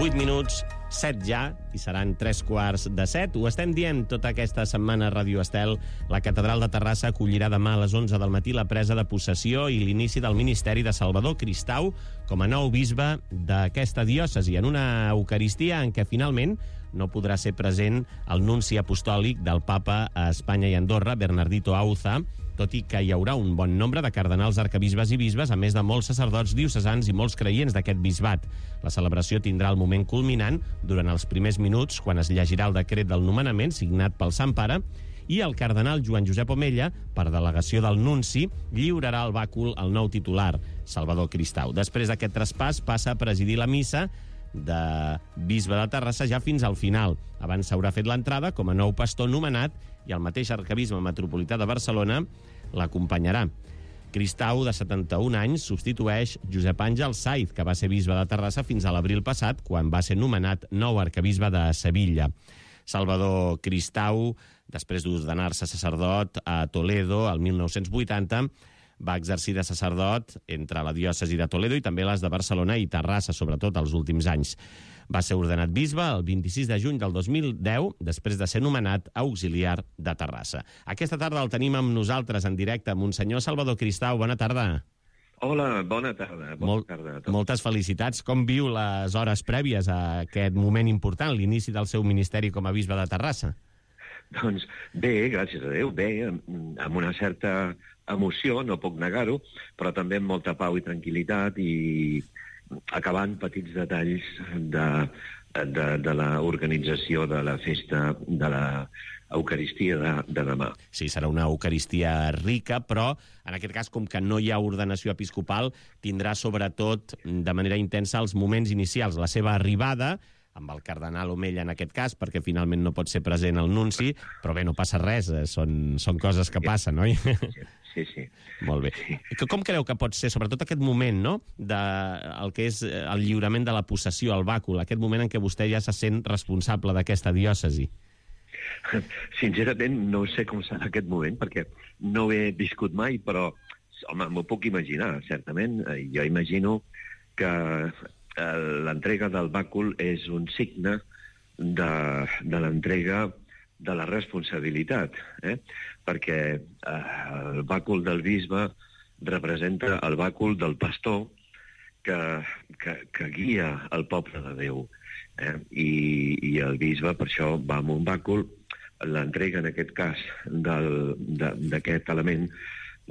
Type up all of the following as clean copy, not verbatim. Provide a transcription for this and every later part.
8 minuts, 7 ja, i seran 3:15. Ho estem dient tota aquesta setmana a Ràdio Estel. La catedral de Terrassa acollirà demà a les 11 del matí la presa de possessió i l'inici del ministeri de Salvador Cristau com a nou bisbe d'aquesta diòcesi, en una eucaristia en què finalment no podrà ser present el nunci apostòlic del papa a Espanya i Andorra, Bernardito Auza, tot i que hi haurà un bon nombre de cardenals, arquebisbes i bisbes, a més de molts sacerdots diocesans i molts creients d'aquest bisbat. La celebració tindrà el moment culminant durant els primers minuts, quan es llegirà el decret del nomenament signat pel Sant Pare, i el cardenal Joan Josep Omella, per delegació del nunci, lliurarà el bàcul al nou titular, Salvador Cristau. Després d'aquest traspàs passa a presidir la missa de bisbe de Terrassa ja fins al final. Abans s'haurà fet l'entrada com a nou pastor nomenat i el mateix arquebisbe metropolità de Barcelona l'acompanyarà. Cristau, de 71 anys, substitueix Josep Àngel Saiz, que va ser bisbe de Terrassa fins a l'abril passat, quan va ser nomenat nou arquebisbe de Sevilla. Salvador Cristau, després d'ordenar-se sacerdot a Toledo el 1980, va exercir de sacerdot entre la diòcesi de Toledo i també les de Barcelona i Terrassa, sobretot els últims anys. Va ser ordenat bisbe el 26 de juny del 2010, després de ser nomenat auxiliar de Terrassa. Aquesta tarda el tenim amb nosaltres en directe, Monsenyor Salvador Cristau. Bona tarda. Hola, bona tarda. Moltes felicitats. Com viu les hores prèvies a aquest moment important, l'inici del seu ministeri com a bisbe de Terrassa? Doncs bé, gràcies a Déu, bé, amb una certa emoció, no puc negar-ho, però també amb molta pau i tranquil·litat i acabant petits detalls de l'organització de la festa de l'Eucaristia de demà. Sí, serà una Eucaristia rica, però en aquest cas, com que no hi ha ordenació episcopal, tindrà sobretot de manera intensa els moments inicials, la seva arribada, amb el cardenal Omella en aquest cas, perquè finalment no pot ser present el nunci, però bé, no passa res, són coses que passen, oi? Sí. Molt bé. Sí. Com creu que pot ser, sobretot aquest moment, no?, el que és el lliurament de la possessió, el bàcul, aquest moment en què vostè ja se sent responsable d'aquesta diòcesi? Sincerament, no sé com serà aquest moment, perquè no ho he viscut mai, però, home, m'ho puc imaginar, certament. Jo imagino que l'entrega del bàcul és un signe de l'entrega de la responsabilitat, perquè el bàcul del bisbe representa el bàcul del pastor que guia el poble de Déu. I el bisbe, per això, va amb un bàcul. L'entrega, en aquest cas, d'aquest element,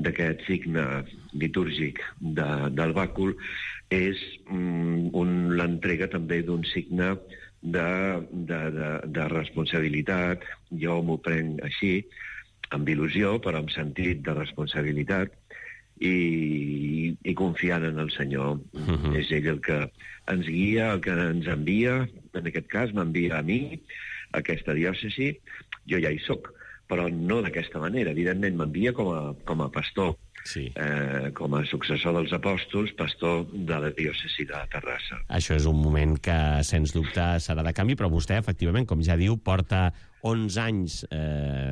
d'aquest signe litúrgic del bàcul, és l'entrega també d'un signe de responsabilitat. Jo m'ho prenc així, amb il·lusió, però amb sentit de responsabilitat, i confiant en el Senyor. És ell el que ens guia, el que ens envia. En aquest cas m'envia a mi, a aquesta diòcesi. Jo ja hi soc, però no d'aquesta manera. Evidentment m'envia com a pastor, sí. Com a successor dels apòstols, pastor de la diòcesi de Terrassa. Això és un moment que, sens dubte, serà de canvi, però vostè, efectivament, com ja diu, porta 11 anys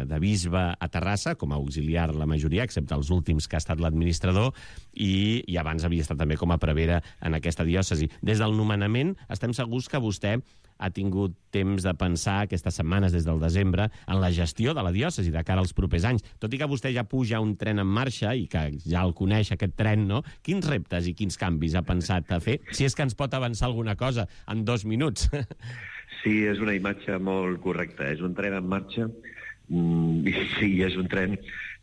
de bisbe a Terrassa, com a auxiliar la majoria, excepte els últims que ha estat l'administrador, i abans havia estat també com a prevere en aquesta diòcesi. Des del nomenament estem segurs que vostè ha tingut temps de pensar aquestes setmanes, des del desembre, en la gestió de la diòcesi de cara als propers anys. Tot i que vostè ja puja un tren en marxa i que ja el coneix, aquest tren, no? Quins reptes i quins canvis ha pensat a fer? Si és que ens pot avançar alguna cosa en 2 minuts. Sí, és una imatge molt correcta. És un tren en marxa, i sí, és un tren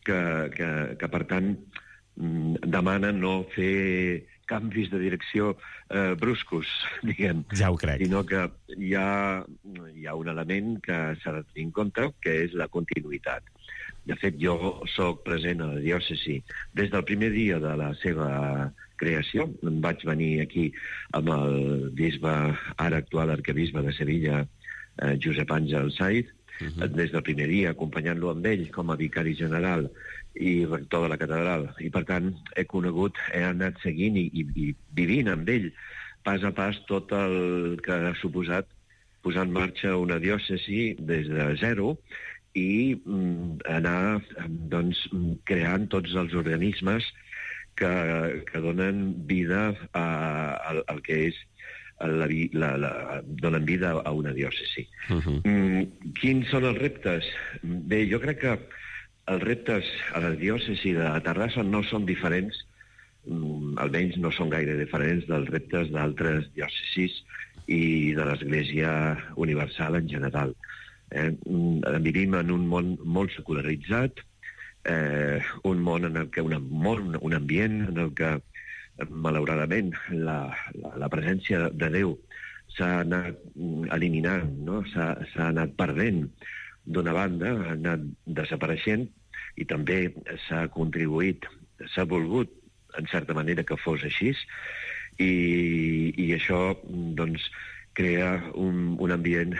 que per tant, demana no fer canvis de direcció bruscos, diguem. Ja ho crec. Sinó que hi ha un element que s'ha de tenir en compte, que és la continuïtat. De fet, jo soc present a la diòcesi des del primer dia de la seva creació. Em vaig venir aquí amb el bisbe, ara actual arquebisbe de Sevilla, Josep Àngel Saiz, des del primer dia, acompanyant-lo amb ell com a vicari general i rector de la catedral. I, per tant, he anat seguint i vivint amb ell pas a pas tot el que ha suposat posar en marxa una diòcesi des de zero i anar creant tots els organismes que donen vida al que és donen vida a una diòcesi. Quins són els reptes? Bé, jo crec que els reptes a la diòcesi de Terrassa no són diferents, almenys no són gaire diferents dels reptes d'altres diòcesis i de l'Església Universal en general. Vivim en un món molt secularitzat, un món en el que un ambient en el que malauradament la presència de Déu s'ha anat eliminant, no? S'ha anat perdent d'una banda, ha anat desapareixent i també s'ha contribuït, s'ha volgut en certa manera que fos així i això doncs crea un ambient,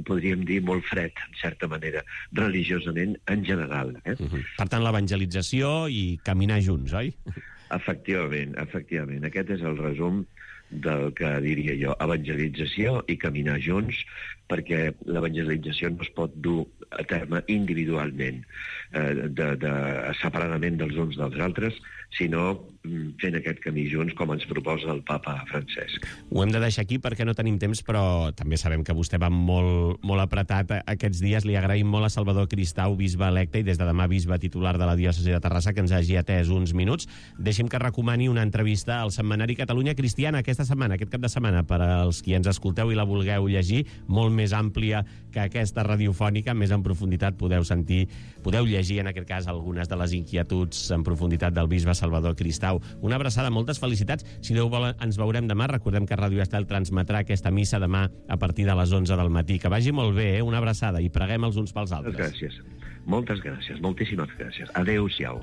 podríem dir, molt fred, en certa manera, religiosament en general. Per tant, l'evangelització i caminar junts, oi? Efectivament. Aquest és el resum del que diria jo, evangelització i caminar junts, perquè l'evangelització no es pot dur a terme individualment, separadament dels uns dels altres, sinó fent aquest camí junts com ens proposa el papa Francesc. Ho hem de deixar aquí perquè no tenim temps, però també sabem que vostè va molt apretat aquests dies. Li agraïm molt a Salvador Cristau, bisbe electe i des de demà bisbe titular de la diòcesi de Terrassa, que ens hagi atès uns minuts. Deixi'm que recomani una entrevista al setmanari Catalunya Cristiana aquest cap de setmana, per als qui ens escolteu i la vulgueu llegir, molt més àmplia que aquesta radiofònica, més en profunditat podeu llegir en aquest cas algunes de les inquietuds en profunditat del bisbe Salvador Cristau. Una abraçada, moltes felicitats. Si Déu vol, ens veurem demà. Recordem que Ràdio Estel transmetrà aquesta missa demà a partir de les 11 del matí. Que vagi molt bé, Una abraçada, i preguem els uns pels altres. Moltes gràcies. Moltíssimes gràcies. Adéu-siau.